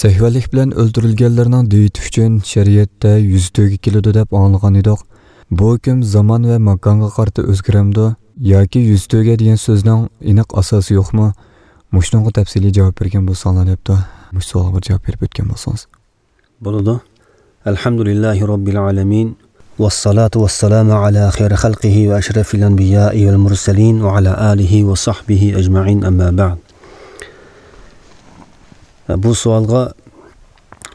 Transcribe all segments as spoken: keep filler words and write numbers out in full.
سەھۋەنلىك بىلەن ئۆلتۈرۈلگەنلەرنىڭ دىيىتى ئۈچۈن شەرىئەتتە يۈزتۆگە كېلىدۇ دەپ ئاڭلىغان ئىدۇق. بۇ ھۆكۈم زامان ۋە ماكانغا قارىتا ئۆزگىرەمدۇ؟ ياكى يۈزتۆگە دېگەن سۆزنىڭ ئېنىق ئاساسى يوقمۇ؟ مۇشۇنىڭغا تەپسىلىي جاۋاب بەرگەن بولساڭلار دەپتۇ. مۇشۇ سوئالغا بىر جاۋاب بېرىپ ئۆتكەن بولسىڭىز. بولىدۇ. الحمد لله رب العالمين، والصلاة والسلام على خير خلقه وأشرف الأنبياء والمرسلين وعلى آله وصحبه أجمعين، أما بعد. بۇ سوئالغا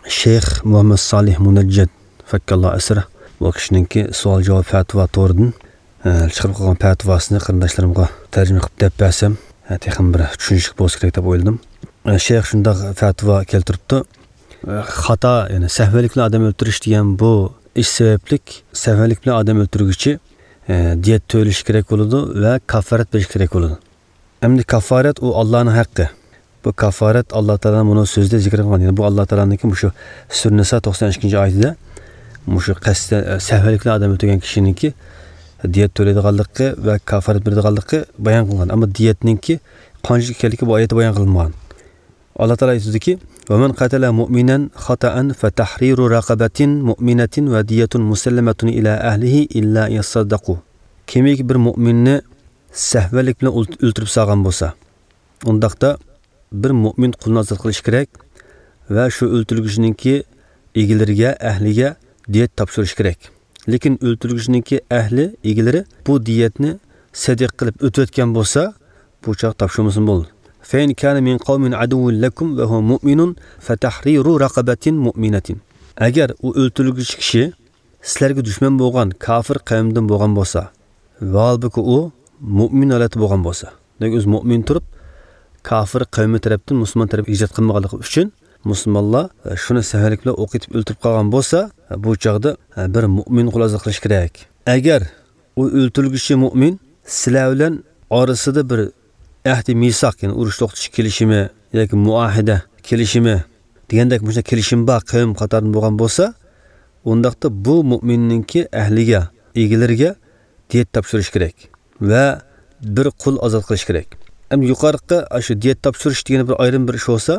شەيخ مۇھەممەد سالىھ مۇنەججەد، فەككاللا ئەسرە، بۇ كىشىنىڭكى سوئال جاۋاب پەتىۋا تورىدىن، ئە، چىقىرىپ قويغان پەتىۋاسىنى قېرىنداشلىرىمغا تەرجىمە قىلىپ دەپ بەرسەم، ئە، تېخىمۇ بىر چۈشىنىشلىك بولسا كېرەك دەپ ئويلىدىم. ئە، شەيخ شۇنداق پەتىۋا كەلتۈرۈپتۇ. ئە، خاتا، يەنى سەھۋەنلىك بىلەن ئادەم ئۆلتۈرۈش دېگەن بۇ ئىش سەۋەبلىك، سەھۋەنلىك بىلەن ئادەم ئۆلتۈرگۈچى، ئە، دىيەت تۆلىشى كېرەك بولىدۇ ۋە كاففارەت بېرىشى كېرەك بولىدۇ. ئەمدى كاففارەت ئۇ ئاللانىڭ ھەققى. بۇ كاففارەت ئاللا تائالانىڭ بۇنىڭ سۆزىدە زىكىر قىلغان. يەنى بۇ ئاللا تائالانىڭكى مۇشۇ سۈرە نىسا توقسان ئىككىنچى ئايىتىدە مۇشۇ قەستەن، ئە، سەھۋەنلىك بىلەن ئادەم ئۆلتۈرگەن كىشىنىڭكى دىيەت تۆلەيدىغانلىقى ۋە كاففارەت بېرىدىغانلىقى بايان قىلىنغان. ئەمما دىيەتنىڭكى قانچىلىك ئىكەنلىكى بۇ ئايەتتە بايان قىلىنمىغان. ئاللا تائالا ئېيتىدۇكى، ومن قتل مؤمنا خطأ فتحرير رقبة مؤمنة ودية مسلمة إلى أهله إلا أن يصدقوا. كىمكى بىر مۆمىننى سەھۋەنلىك بىلەن ئۆلت-، ئۆلتۈرۈپ سالغان بولسا، ئۇنداقتا بىر مۆمىن قۇلنى ئازاد قىلىش كېرەك ۋە شۇ ئۆلتۈرگۈچىنىڭكى ئىگىلىرىگە، ئەھلىگە دىيەت تاپشۇرۇش كېرەك. لېكىن ئۆلتۈرگۈچىنىڭكى ئەھلى، ئىگىلىرى بۇ دىيەتنى سەدىقە قىلىپ ئۆتۈۋەتكەن بولسا، بۇ چاغ تاپشۇرمىسىمۇ بولىدۇ. فإن كان من قوم عدو لكم وهو مؤمن فتحرير رقبة مؤمنة. ئەگەر ئۇ ئۆلتۈرگۈچى كىشى سىلەرگە دۈشمەن بولغان كافىر قەۋمدىن بولغان بولسا، ۋە ھالبۇكى ئۇ مۆمىن ھالەتتە بولغان بولسا، دېمەك، ئۆزى مۆمىن تۇرۇپ، كافىر قەۋمى تەرەپتىن مۇسۇلمان تەرەپكە ھىجرەت قىلمىغانلىقى ئۈچۈن، مۇسۇلمانلار، ئە، شۇنى سەھۋەنلىك بىلەن ئوق ئېتىپ ئۆلتۈرۈپ قالغان بولسا، ئە، بۇ چاغدا، ئە، بىر مۆمىن قۇل ئازاد قىلىش كېرەك. ئەگەر ئۇ ئۆلتۈرگۈچى مۆمىن سىلەر بىلەن ئارىسىدا بىر ئەھدى مىساق، يەنى ئۇرۇش توختىتىش كېلىشىمى ياكى مۇئاھىدە كېلىشىمى دېگەندەك مۇشۇنداق كېلىشىم بار قەۋم قاتارىدىن بولغان بولسا، ئۇنداقتا بۇ مۆمىننىڭكى ئەھلىگە، ئىگىلىرىگە دىيەت تاپشۇرۇش كېرەك ۋە بىر قۇل ئازاد قىلىش كېرەك. ئەمدى يۇقىرىقى ئاشۇ دىيەت تاپشۇرۇش دېگىنى بىر ئايرىم بىر ئىش بولسا،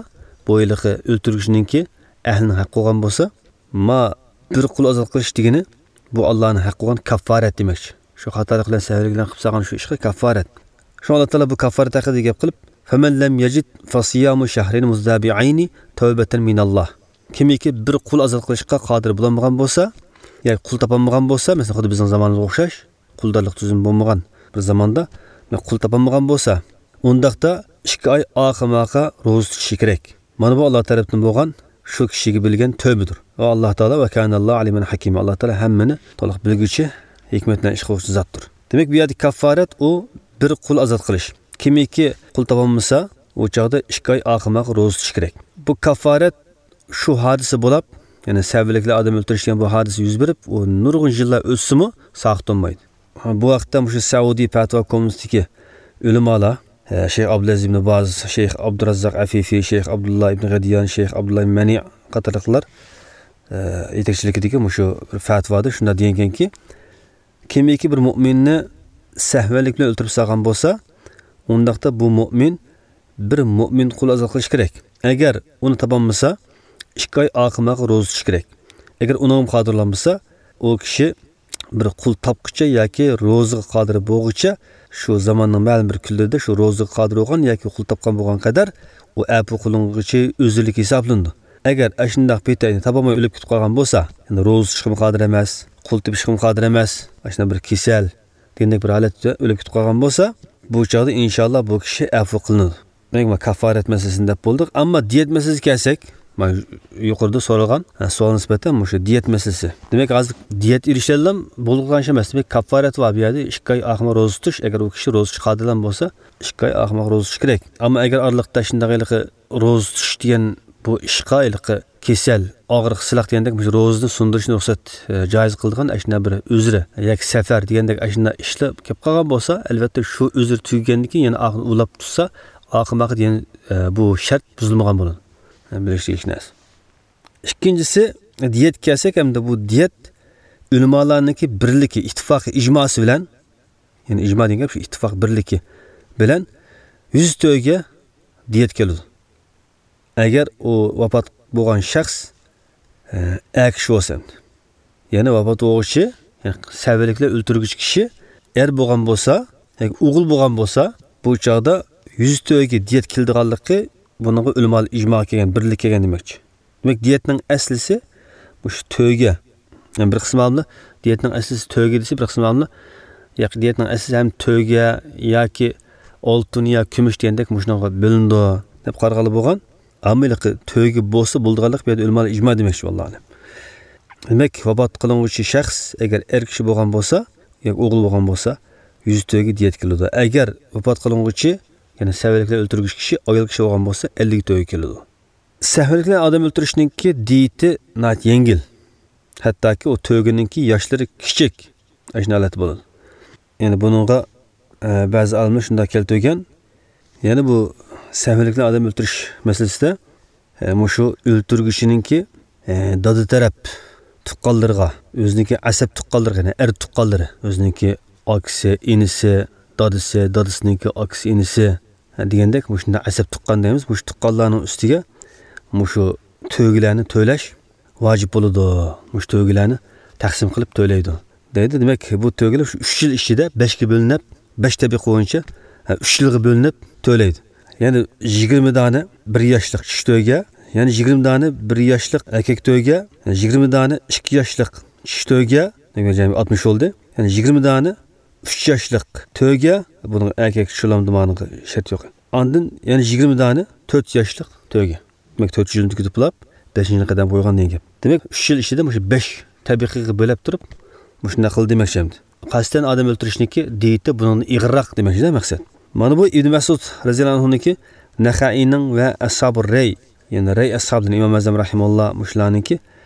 بۇ ھېلىقى ئۆلتۈرگۈچىنىڭكى ئەھلىنىڭ ھەققى بولغان بولسا، ما بىر قۇل ئازاد قىلىش دېگىنى بۇ ئاللانىڭ ھەققى بولغان كاففارەت دېمەكچى. شۇ خاتالىق بىلەن سەھۋەنلىك بىلەن قىلىپ سالغان شۇ ئىشقا كاففارەت. شۇڭا ئاللا تائالا بۇ كاففارەت ھەققىدە گەپ قىلىپ، فمن لم يجد فصيام شهرين متتابعين توبة من الله. كىمكى بىر قۇل ئازاد قىلىشقا قادىر بولالمىغان بولسا، ياكى قۇل تاپالمىغان بولسا، مەسىلەن، خۇددى بىزنىڭ زامانىمىزغا ئوخشاش، قۇلدارلىق تۈزۈمى بولمىغان بىر زاماندا قۇل تاپالمىغان بولسا، ئۇنداقتا ئىككى ئاي ئاخىماقا روزا تۇتۇشى كېرەك. مانا بۇ ئاللا تەرەپتىن بولغان شۇ كىشىگە بىلگەن تۆۋبىدۇر. ۋە ئاللا تائالا، ۋە كانەللاھۇ ئالىمان ھەكىما، ئاللا تائالا ھەممىنى تولۇق بىلگۈچى، ھېكمەت بىلەن ئىش قىلغۇچى زاتتۇر. دېمەك، بۇ يەردە كاففارەت ئۇ بىر قۇل ئازاد قىلىش. كىمكى قۇل تاپالمىسا، ئۇ چاغدا ئىككى ئاي ئاخىماقا روزا تۇتۇش كېرەك. بۇ كاففارەت شۇ ھادىسە بولاپ، يەنى سەھۋەنلىك بىلەن ئادەم ئۆلتۈرۈش دېگەن بۇ ھادىسە يۈز بېرىپ، ئۇ نۇرغۇن يىللار ئۆتسىمۇ ساقىت بولمايدۇ. بۇ ھەقتە مۇشۇ سەئۇدىي پەتىۋا كومىتېتىدىكى ئۆلىمالار، ئە، شەيخ ئابدۇلئەزىز ئىبن باز، شەيخ ئابدۇراززاق ئەفىفى، شەيخ ئابدۇللا ئىبن غەدىيان، شەيخ ئابدۇللا ئىبن مەنى قاتارلىقلار، ئە، يېتەكچىلىكىدىكى مۇشۇ بىر پەتىۋادا شۇنداق دېگەنكى، كىمكى بىر مۆمىننى سەھۋەنلىك بىلەن ئۆلتۈرۈپ سالغان بولسا، ئۇنداقتا بۇ مۆمىن بىر مۆمىن قۇل ئازاد قىلىش كېرەك. ئەگەر ئۇنى تاپالمىسا، ئىككى ئاي ئاخىماقا روزا تۇتۇش كېرەك. ئەگەر ئۇنىڭغا قادىر بولالمىسا، ئۇ كىشى بىر قۇل تاپقىچە ياكى روزىغا قادىر بولغۇچە، شۇ زاماننىڭ مەلۇم بىر كۈنلىرىدە شۇ روزىغا قادىر بولغان ياكى قۇل تاپقان بولغان قەدەر ئۇ ئەپۇ قىلىنغۇچى ئۆزرىلىك ھېسابلىنىدۇ. ئەگەر ئاشۇنداق پېتى تاپالماي ئۆلۈپ كېتىپ قالغان بولسا، يەنى روزا تۇتۇشقىمۇ قادىر ئەمەس، قۇل تېپىشقىمۇ قادىر ئەمەس، ئاشۇنداق بىر كېسەل دېگەندەك بىر ھالەتتە ئۆلۈپ كېتىپ قالغان بولسا، بۇ چاغدا ئىنشاللا بۇ كىشى ئەپۇ قىلىنىدۇ. دېمەك، مانا كاففارەت مەسىلىسىنى دەپ بولدۇق. ئەمما دىيەت مەسىلىسىگە كەلسەك، مانا يۇقىرىدا سورالغان، ھە، سوئالغا نىسبەتەن مۇشۇ دىيەت مەسىلىسى. دېمەك، ھازىر دىيەت ئېلىشىدىلا بولغان ئىش ئەمەس. دېمەك، كاففارەت بار بۇ يەردە. ئىككى ئاي ئاخىماق روزا تۇتۇش، ئەگەر ئۇ كىشى روزا تۇتۇش قادىر بولسا، ئىككى ئاي ئاخىماق روزا تۇتۇش كېرەك. ئەمما ئەگەر ئارىلىقتا شۇنداق ھېلىقى روزا تۇتۇش دېگەن بۇ ئىشقا ھېلىقى كېسەل، ئاغرىق، سىلاق دېگەندەك مۇشۇ روزىنى سۇندۇرۇشنى رۇخسەت، ئە، جايىز قىلىدىغان ئاشۇنداق بىر ئۆزرى ياكى سەپەر دېگەندەك ئاشۇنداق ئىشلار كېلىپ قالغان بولسا، ئەلۋەتتە شۇ ئۆزرى تۈگىگەندىن كېيىن يەنە ئاخىرىنى ئۇلاپ تۇتسا، ئاخىرماقى دېگەن، ئە، بۇ شەرت بۇزۇلمىغان بولىدۇ. ئە، بىلىشلىك نەرسە. ئىككىنچىسى، دىيەتكە كەلسەك، ئەمدى بۇ دىيەت ئۆلىمالارنىڭكى بىرلىكى، ئىتتىپاقى، ئىجماسى بىلەن، يەنى ئىجما دېگەن گەپ شۇ، ئىتتىپاق، بىرلىكى بىلەن يۈز تۆگە دىيەت كېلىدۇ. ئەگەر ئۇ ۋاپات بولغان شەخس، ئە، ئەر كىشى بولسا ئەمدى. يەنى ۋاپات بولغۇچى، يەنى سەۋەنلىكلەر ئۆلتۈرگۈچى كىشى ئەر بولغان بولسا، ياكى ئوغۇل بولغان بولسا، بۇ چاغدا يۈز تۆگە دىيەت كېلىدىغانلىقى بۇنىڭغا ئۆلىمالار ئىجماغا كەلگەن، بىرلىككە كەلگەن دېمەكچى. دېمەك، دىيەتنىڭ ئەسلىسى مۇشۇ تۆگە. يەنى بىر قىسىم ئالىملار دىيەتنىڭ ئەسلىسى تۆگە دېسە، بىر قىسىم ئالىملار ياكى دىيەتنىڭ ئەسلىسى ھەم تۆگە ياكى ئالتۇن يا كۈمۈش دېگەندەك مۇشۇنىڭغا بۆلۈنىدۇ دەپ قارىغانلار بولغان. ئەمما ھېلىقى تۆگە بولسا بولىدىغانلىق بۇ يەردە ئۆلىمالار ئىجما دېمەكچى، ۋاللاھۇ ئەلەم. دېمەك، ۋاپات قىلىنغۇچى شەخس ئەگەر ئەر كىشى بولغان بولسا ياكى ئوغۇل بولغان بولسا، يۈز تۆگە دىيەت كېلىدۇ. ئەگەر ۋاپات قىلىنغۇچى، يەنى سەۋەنلىكلەر ئۆلتۈرگۈچى كىشى ئايال كىشى بولغان بولسا، ئەللىك تۆگە كېلىدۇ. سەۋەنلىكلەر ئادەم ئۆلتۈرۈشنىڭكى دىيىتى ناھايىتى يەڭگىل. ھەتتاكى ئۇ تۆگىنىڭكى ياشلىرى كىچىك. ئاشۇنداق ھالەتتە بولىدۇ. يەنى بۇنىڭغا، ئە، بەزى ئالىملار شۇنداق كەلتۈرگەن. يەنى بۇ سەۋەنلىكلەر ئادەم ئۆلتۈرۈش مەسىلىسىدە، ئە، مۇشۇ ئۆلتۈرگۈچىنىڭكى، ئە، دادا تەرەپ تۇغقانلىرىغا، ئۆزىنىڭكى ئەسەب تۇغقانلىرىغا، يەنى ئەر تۇغقانلىرى، ئۆزىنىڭكى ئاكىسى، ئىنىسى، دادىسى، دادىسىنىڭكى ئاكىسى، ئىنىسى، دېگەندەك، مۇشۇنداق ئەسەب تۇغقان دەيمىز، مۇشۇ تۇغقانلارنىڭ ئۈستىگە مۇشۇ تۆگىلەرنى تۆلەش ۋاجىپ بولىدۇ. مۇشۇ تۆگىلەرنى تەقسىم قىلىپ تۆلەيدۇ، دەيدۇ. دېمەك، بۇ تۆگىلەر شۇ ئۈچ يىل ئىچىدە بەشكە بۆلۈنۈپ، بەش تەبىقە بويىچە، ھە، ئۈچ يىلغا بۆلۈنۈپ تۆلەيدۇ. يەنى يىگىرمە دانە بىر ياشلىق كىچىك تۆگە، يەنى يىگىرمە دانە بىر ياشلىق ئەركەك تۆگە، يەنى يىگىرمە دانە ئىككى ياشلىق كىچىك تۆگە، دېمەك، جەمئىي ئاتمىش بولدى. يەنى يىگىرمە دانە ئۈچ ياشلىق تۆگە، بۇنىڭ ئەركەك شۇلامدىمانىغا شەرت يوق. ئاندىن يەنە يىگىرمە دانە تۆت ياشلىق تۆگە. دېمەك، تۆت يىلنى تۈگىتىپ بولاپ، بەشىنچى قەدەم قويغان دېگەن گەپ. دېمەك، ئۈچ يىل ئىچىدە مۇشۇ بەش تەبىقىگە بۆلەپ تۇرۇپ، مۇشۇنداق قىلدى دېمەكچى ئەمدى. قەستەن ئادەم ئۆلتۈرۈشنىكى دىيىتى بۇنىڭدىن ئېغىرراق دېمەكچىدە مەقسەت. مانا بۇ ئىبن مەسئۇد رەزىياللاھۇ ئەنھۇنىڭكى، نەخەئىينىڭ ۋە ئەسھابۇ رەي، يەنى رەي ئەسھابىدىن ئىمام ئەزەم رەھىمەھۇللا مۇشۇلارنىڭكى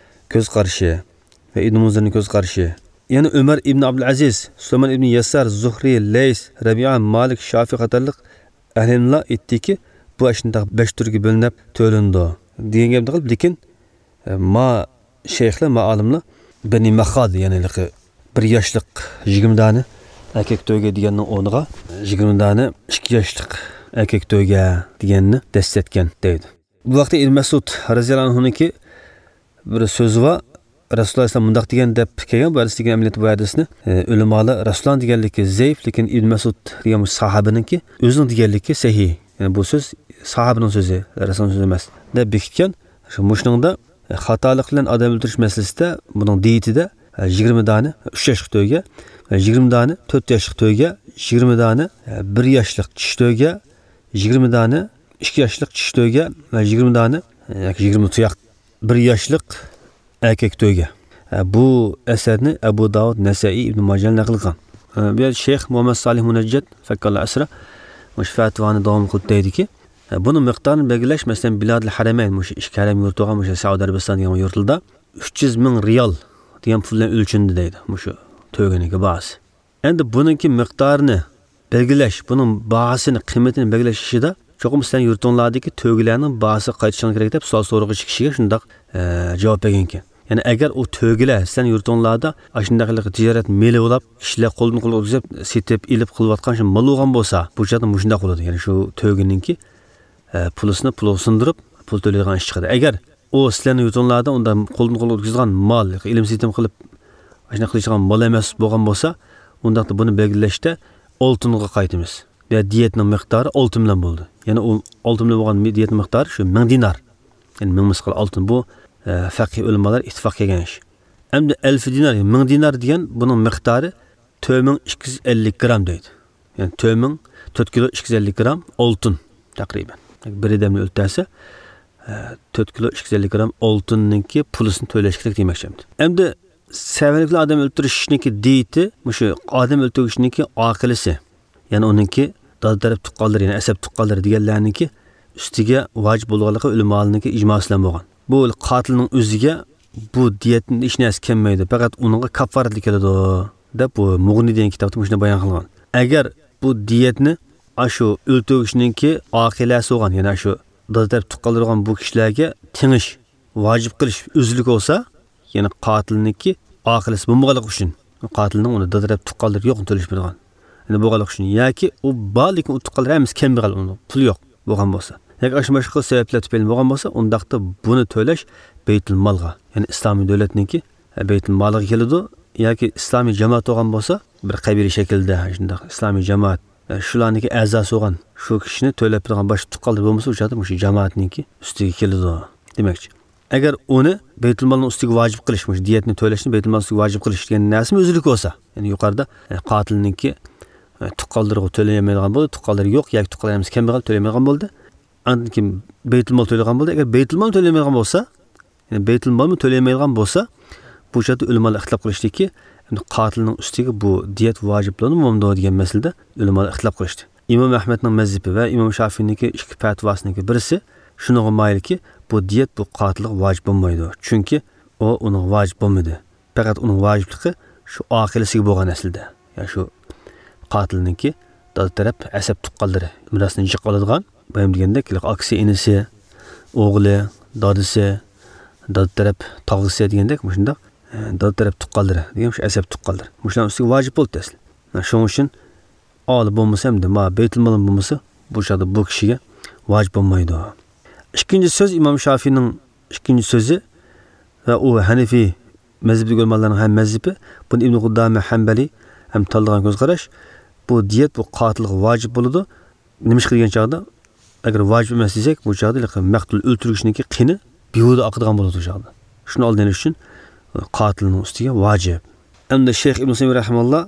كۆز قارىشى ۋە ئىبن مۇنزىرنىڭ كۆز قارىشى. يەنە ئۆمەر ئىبن ئابدۇلئەزىز، سۇلايمان ئىبن يەسسار، زۇھرى، لەيس، رەبىئە، مالىك، شافىئى قاتارلىق ئەھلى ئىلىملار ئېيتتىكى، بۇ ئاشۇنداق بەش تۈرگە بۆلۈنۈپ تۆلىنىدۇ دېگەن گەپنى قىلىپ، لېكىن، ئە، ما شەيخلەر، ما ئالىملار بەنى مەخاد، يەنى ھېلىقى بىر ياشلىق يىگىرمە دانە ئەركەك تۆگە دېگەننىڭ ئورنىغا يىگىرمە دانە ئىككى ياشلىق ئەركەك تۆگە دېگەننى دەسسەتكەن دەيدۇ. بۇ ۋاقىتتا ئىبن مەسئۇد رەزىياللاھۇ ئەنھۇنىڭكى بىر سۆزى بار. رەسۇلۇللاھ ئەلەيھىسسالام مۇنداق دېگەن دەپ كەلگەن بۇ ھەدىسنى، ئەمەلىيەتتە بۇ ھەدىسنى، ئە، ئۆلىمالار رەسۇلۇللاھنىڭ دېگەنلىكى زەئىپ، لېكىن ئىبن مەسئۇد دېگەن بۇ ساھابىنىڭكى ئۆزىنىڭ دېگەنلىكى سەھىھ. يەنى بۇ سۆز ساھابىنىڭ سۆزى، رەسۇلۇللاھنىڭ سۆزى ئەمەس دەپ بېكىتكەن. شۇ مۇشۇنىڭدا، ئە، خاتالىق بىلەن ئادەم ئۆلتۈرۈش مەسىلىسىدە بۇنىڭ دىيىتىدە، ئە، يىگىرمە دانە ئۈچ ياشلىق تۆگە، ئە، يىگىرمە دانە تۆت ياشلىق تۆگە، يىگىرمە دانە، ئە، بىر ياشلىق چىشى تۆگە، يىگىرمە دانە ئىككى ياشلىق چىشى تۆگە ۋە يىگىرمە دانە، ياكى يىگىرمە تۇياق، بىر ياشلىق ئەركەك تۆگە. بۇ ئەسەرنى ئەبۇ داۋۇد، نەسەئىي، ئىبن ماجە نەقىل قىلغان. بۇ يەردە شەيخ مۇھەممەد سالىھ مۇنەججەد، فەككاللا ئەسرا، مۇشۇ پەتىۋانى داۋام قىلىپ دەيدىكى، بۇنىڭ مىقدارىنى بەلگىلەش، مەسىلەن، بىلادىل ھەرەمەين، مۇشۇ ئىككى ھەرەم يۇرتى بولغان مۇشۇ سەئۇدى ئەرەبىستان دېگەن يۇرتلاردا ئۈچ يۈز مىڭ رىيال دېگەن پۇل بىلەن ئۆلچىنىدۇ دەيدۇ، مۇشۇ تۆگىنىڭكى باھاسى. ئەمدى بۇنىڭكى مىقدارىنى بەلگىلەش، بۇنىڭ باھاسىنى، قىممىتىنى بەلگىلەش ئىشىدا چوقۇم سىلەرنىڭ يۇرتۇڭلاردىكى تۆگىلەرنىڭ باھاسىغا قايتىشىڭلار كېرەك دەپ سوئال سورىغۇچى كىشىگە شۇنداق، ئە، جاۋاب بەرگەنكەن. يەنى ئەگەر ئۇ تۆگىلەر سىلەرنىڭ يۇرتۇڭلاردا ئاشۇنداق تىجارەت مېلى بولاپ، كىشىلەر قولدىن قولغا ئۆتكۈزۈپ، سېتىپ، ئېلىپ قىلىۋاتقان شۇ مال بولغان بولسا، بۇ چاغدا مۇشۇنداق بولىدۇ. يەنى شۇ تۆگىنىڭكى ئە، پۇلىسىنى پۇلغا سۇندۇرۇپ، پۇل تۆلەيدىغان ئىش چىقىدۇ. ئەگەر ئۇ سىلەرنىڭ يۇرتۇڭلاردا ئۇنداق قولدىن قولغا ئۆتكۈزىدىغان مال، ئېلىم سېتىم قىلىپ، ئاشۇنداق قىلىشىدىغان مال ئەمەس بولغان بولسا، ئۇنداقتا بۇنى بەلگىلەشتە ئالتۇنغا قايتىمىز. يا دىيەتنىڭ مىقدارى ئالتۇن بىلەن بولىدۇ. يەنى ئۇ ئالتۇن بىلەن بولغان دىيەتنىڭ مىقدارى شۇ مىڭ دىنار. يەنى مىڭ مىسقال ئالتۇن. بۇ، ئە، فەقىھ ئۆلىمالار ئىتتىپاق كەلگەن ئىش. ئەمدى ئەلفى دىنار، مىڭ دىنار دېگەن بۇنىڭ مىقدارى تۆت مىڭ ئىككى يۈز ئەللىك گرام دەيدۇ. يەنى تۆت مىڭ، تۆت كىلو ئىككى يۈز ئەللىك گرام ئالتۇن تەقرىبەن. بىر ئادەمنى ئۆلتۈرسە، ئە، تۆت كىلو ئىككى يۈز ئەللىك گرام ئالتۇننىڭكى پۇلىسىنى تۆلەش كېرەك دېمەكچى ئەمدى. سەۋەنلىكلەر ئادەم ئۆلتۈرۈشنىڭكى دىيىتى، مۇشۇ ئادەم ئۆلتۈرگۈچىنىڭكى ئاقىلىسى، يەنى ئۇنىڭكى دادا تەرەپ تۇغقانلىرى، يەنى ئەسەب تۇغقانلىرى دېگەنلەرنىڭكى ئۈستىگە ۋاجىپ بولىدىغانلىقى ئۆلىمالارنىڭكى ئىجماسى بىلەن بولغان. بۇ قاتىلنىڭ ئۆزىگە بۇ دىيەتتىن ھېچ نەرسە كەلمەيدۇ، پەقەت ئۇنىڭغا كاپپارەتلا كېلىدۇ، دەپ بۇ مۇغنى دېگەن كىتابتا مۇشۇنداق بايان قىلغان. ئەگەر بۇ دىيەتنى ئاشۇ ئۆلتۈرگۈچىنىڭكى ئاقىلەسى بولغان، يەنى ئاشۇ دادا تەرەپ تۇغقانلىرى بولغان بۇ كىشىلەرگە تېڭىش، ۋاجىپ قىلىش ئۆزلۈك بولسا، يەنى قاتىلنىڭكى ئاقىلىسى بولمىغانلىقى ئۈچۈن، قاتىلنىڭ ئۇنى دادا تەرەپ تۇغقانلىرى يوق تۆلىشىدىغان. يەنى بولغانلىقى ئۈچۈن ياكى ئۇ بار، لېكىن ئۇ تۇغقانلىرى ھەممىسى كەمبەغەل، ئۇنىڭ پۇلى يوق بولغان بولسا. ياكى ئاشۇ باشقا سەۋەبلەر تۈپەيلى بولغان بولسا، ئۇنداقتا بۇنى تۆلەش بەيتۇلمالغا، يەنى ئىسلامىي دۆلەتنىڭكى بەيتۇلمالىغا كېلىدۇ. ياكى ئىسلامىي جامائەت بولغان بولسا، بىر قەبىلە شەكلىدە شۇنداق ئىسلامىي جامائەت، شۇلارنىڭكى ئەزاسى بولغان شۇ كىشىنى تۆلەپ بېرىدىغان باشقا تۇغقانلىرى بولمىسا، ئۇ چاغدا مۇشۇ جامائەتنىڭكى ئۈستىگە كېلىدۇ دېمەكچى. ئەگەر ئۇنى بەيتۇلمالنىڭ ئۈستىگە ۋاجىپ قىلىش، مۇشۇ دىيەتنى تۆلەشنى بەيتۇلمالنىڭ ئۈستىگە ۋاجىپ قىلىش دېگەن نەرسىمۇ ئۆزلۈك بولسا، يەنى يۇقىرىدا، ئە، قاتىلنىڭكى، ئە، تۇغقانلىرىغا تۆلىيەلمەيدىغان بولدى، تۇغقانلىرى يوق ياكى تۇغقانلىرى ھەممىسى كەمبەغەل، تۆلىيەلمەيدىغان بولدى. ئاندىن كېيىن بەيتۇلمال تۆلىگەن بولدى. ئەگەر بەيتۇلمال تۆلىيەلمەيدىغان بولسا، يەنى بەيتۇلمالمۇ تۆلىيەلمەيدىغان بولسا، بۇ شەرتتە ئۆلىمالار ئىختىلاپ قىلىشتىكى، يەنى قاتىلنىڭ ئۈستىگە بۇ دىيەت ۋاجىپلىنىدۇ بولمامدۇ دېگەن مەسىلىدە ئۆلىمالار ئىختىلاپ قىلىشتى. ئىمام ئەھمەدنىڭ مەزھىپى ۋە ئىمام شافىينىڭكى ئىككى پەتىۋاسىنىڭكى بىرسى شۇنىڭغا مايىلكى، بۇ دىيەت بۇ قاتىلغا ۋاجىپ بولمايدۇ. چۈنكى ئۇ ئۇنىڭغا ۋاجىپ بولمىدى. پەقەت ئۇنىڭ ۋاجىپلىقى شۇ ئاقىلىسىگە بولغان ئەسلىدە. يا شۇ قاتىلنىڭكى دادا تەرەپ ئەسەب تۇغقانلىرى مىراسنى جىق ئالىدىغان، بايام دېگەندەك، ئاكىسى، ئىنىسى، ئوغلى، دادىسى، دادا تەرەپ تاغىسى دېگەندەك، مۇشۇنداق، ئە، دادا تەرەپ تۇغقانلىرى دېگەن شۇ ئەسەب تۇغقانلىرى. مۇشۇلارنىڭ ئۈستىگە ۋاجىپ بولدى ئەسلى. شۇنىڭ ئۈچۈن ئالىي بولمىسا، ھەمدە ما بەيتۇلمال بولمىسا، بۇ چاغدا بۇ كىشىگە ۋاجىپ بولمايدۇ. ئىككىنچى سۆز، ئىمام شافىينىڭ ئىككىنچى سۆزى ۋە ئۇ ھەنىفىي مەزھىپىدىكى ئۆلىمالارنىڭ ھەم مەزھىپى، بۇنى ئىبن قۇدامە ھەنبەلى ھەم تاللىغان كۆز قاراش، بۇ دىيەت بۇ قاتىلغا ۋاجىپ بولىدۇ. نېمىشقا دېگەن چاغدا، ئەگەر ۋاجىپ ئەمەس دېسەك، بۇ چاغدا ھېلىقى مەقتۇل ئۆلتۈرگۈچىنىڭكى قېنى بىھۇدە ئاقىدىغان بولىدۇ ئۇ چاغدا. شۇنى ئالدىنى ئېلىش ئۈچۈن قاتىلنىڭ ئۈستىگە ۋاجىپ. ئەمدى شەيخ ئىبن سەيمىيە رەھىمەھۇللا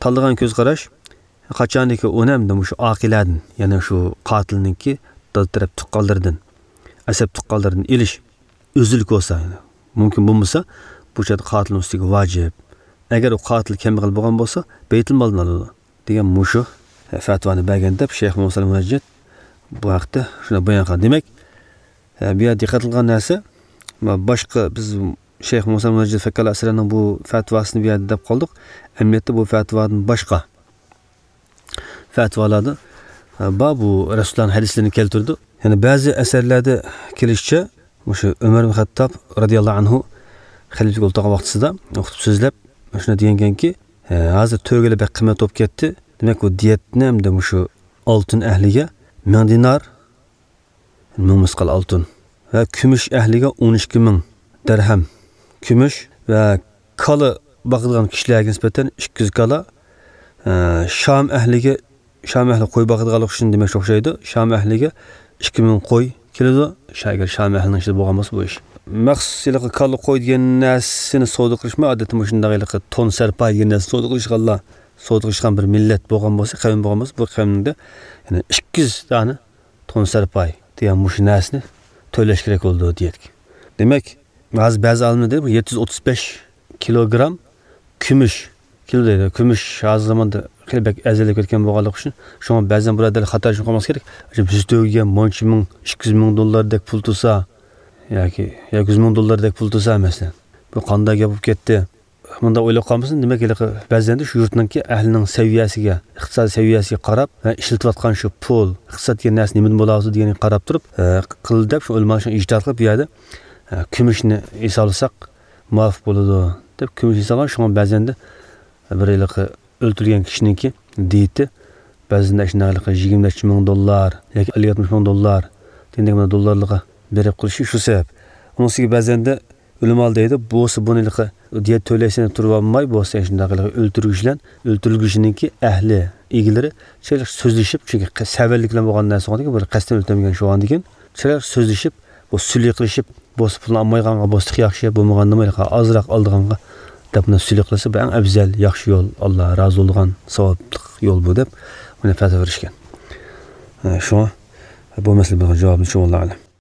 تاللىغان كۆز قاراش، قاچانكى ئۇنى ئەمدى مۇشۇ ئاقىلەدىن، يەنى شۇ قاتىلنىڭكى دادا تەرەپ تۇغقانلىرىدىن، ئەسەب تۇغقانلىرىدىن ئېلىش ئۆزلۈك بولسا، يەنى مۇمكىن بولمىسا، بۇ چاغدا قاتىلنىڭ ئۈستىگە ۋاجىپ. ئەگەر ئۇ قاتىل كەمبەغەل بولغان بولسا، بەيتۇلمالدىن ئالىدۇ دېگەن مۇشۇ، ئە، فەتۋانى بەرگەن دەپ شەيخ مۇھەممەد سالىھ مۇنەججىد بۇ ھەقتە شۇنداق بايان قىلغان. دېمەك، ئە، بۇ يەردە دىققەت قىلغان نەرسە، ما، باشقا بىز شەيخ مۇھەممەد سالىھ مۇنەججىد فەككاللا ئەسىرىنىڭ بۇ فەتۋاسىنى بۇ يەردە دەپ قالدۇق. ئەمەلىيەتتە بۇ فەتۋادىن باشقا فەتۋالاردا، ئە، بار بۇ رەسۇلۇللانىڭ ھەدىسلىرىنى كەلتۈرىدۇ. يەنى بەزى ئەسەرلەردە كېلىشىچە، مۇشۇ ئۆمەر ئىبن خەتتاب رەزىياللاھۇ ئەنھۇ خەلىپىلىك ئولتۇرغان ۋاقتىسىدا خۇتبە سۆزلەپ، شۇنداق دېگەنكەنكى، ئە، ھازىر تۆگىلەر بەك قىممەت بولۇپ كەتتى. دېمەك، بۇ دىيەتنى ھەمدە مۇشۇ ئالتۇن ئەھلىگە مىڭ دىنار، مىڭ مىسقال ئالتۇن ۋە كۈمۈش ئەھلىگە ئون ئىككى مىڭ دەرھەم كۈمۈش ۋە كالا باقىدىغان كىشىلەرگە نىسبەتەن ئىككى يۈز كالا، ئە، شام ئەھلىگە، شام ئەھلى قوي باقىدىغانلىقى ئۈچۈن دېمەكچى ئوخشايدۇ. شام ئەھلىگە ئىككى مىڭ قوي كېلىدۇ. شا-، ئەگەر شام ئەھلىنىڭ ئىچىدە بولغان بولسا بۇ ئىش. مەخسۇس ھېلىقى كالا قوي دېگەن نەرسىنى سودا قىلىشمۇ، ئادەتتە مۇشۇنداق ھېلىقى تون سەرپاي دېگەن نەرسە سودا قىلىشقانلار، سودا قىلىشقان بىر مىللەت بولغان بولسا، قەۋم بولغان بولسا، بۇ قەۋمدە، يەنى ئىككى يۈز دانە تون سەرپاي دېگەن مۇشۇ نەرسىنى تۆلەش كېرەك بولىدۇ دېيەتتى. دېمەك، ھازىر بەزى ئالىملار دەيدۇ، بۇ يەتتە يۈز ئوتتۇز بەش كىلوگرام كۈمۈش كېلىدۇ دەيدۇ. كۈمۈش ھازىر زاماندا خېلى بەك ئەرزانلىشىپ كەتكەن بولغانلىقى ئۈچۈن، شۇڭا بەزەن بۇرادەرلەر خاتا چۈشىنىپ قالماسلىقى كېرەك. بىز تۆگىگە مۇنچە مىڭ، ئىككى يۈز مىڭ دوللاردەك پۇل تۇرسا ياكى، ياكى يۈز مىڭ دوللاردەك پۇل تۇرسا، مەسىلەن، بۇ قانداق گەپ بولۇپ كەتتى؟ مۇنداق ئويلاپ قالمىسۇن، دېمەك، ھېلىقى بەزەندە شۇ يۇرتنىڭكى ئەھلىنىڭ سەۋىيەسىگە، ئىقتىسادىي سەۋىيەسىگە قاراپ ۋە ئىشلىتىۋاتقان شۇ پۇل، ئىقتىساد دېگەن نەرسە نېمىدىن بولاۋاتىدۇ دېگەنگە قاراپ تۇرۇپ، ئە، قىلدى دەپ، شۇ ئۆلىمالار شۇ ئىجتىھات قىلىپ، بۇ يەردە، ئە، كۈمۈشنى ھېسابلىساق مۇۋاپىق بولىدۇ دەپ، كۈمۈش ھېسابلىغان. شۇڭا بەزەندە بىر ھېلىقى ئۆلتۈرگەن كىشىنىڭكى دىيىتى بەزەندە شۇنداق ھېلىقى يىگىرمە نەچچە مىڭ دوللار ياكى ئەللىك يەتمىش مىڭ دوللار دېگەندەك مۇنداق دوللارلارغا بېرىپ قېلىشى شۇ سەۋەب. ئۇنىڭ ئۈستىگە بەزەندە ئۆلىمالار دەيدۇ، بولسا بۇنى ھېلىقى دىيەت تۆلەيسەن دەپ تۇرۇۋالماي، بولسا شۇنداق ھېلىقى ئۆلتۈرگۈچى بىلەن ئۆلتۈرۈلگۈچىنىڭكى ئەھلى، ئىگىلىرى چىرايلىق سۆزلىشىپ، چۈنكى قە-، سەۋەنلىك بىلەن بولغان نەرسە، بىر قەستەن ئۆلتۈرمىگەن شۇ ئاندىكىن، چىرايلىق سۆزلىشىپ، بۇ سۈلھى قىلىشىپ، بولسا پۇلنى ئالمايدىغانغا بولسا تېخى ياخشى، بولمىغاندىمۇ ھېلىقى ئازراق ئالىدىغانغا دەپ مۇنداق سۈلھى قىلسا، بۇ ئەڭ ئەۋزەل، ياخشى يول، ئاللا رازى بولىدىغان ساۋابلىق يول بۇ دەپ مانا پەتىۋا بېرىشكەن. شۇڭا بۇ مەسىلە بولغان جاۋابنى شۇ، ۋاللاھۇ ئەلەم.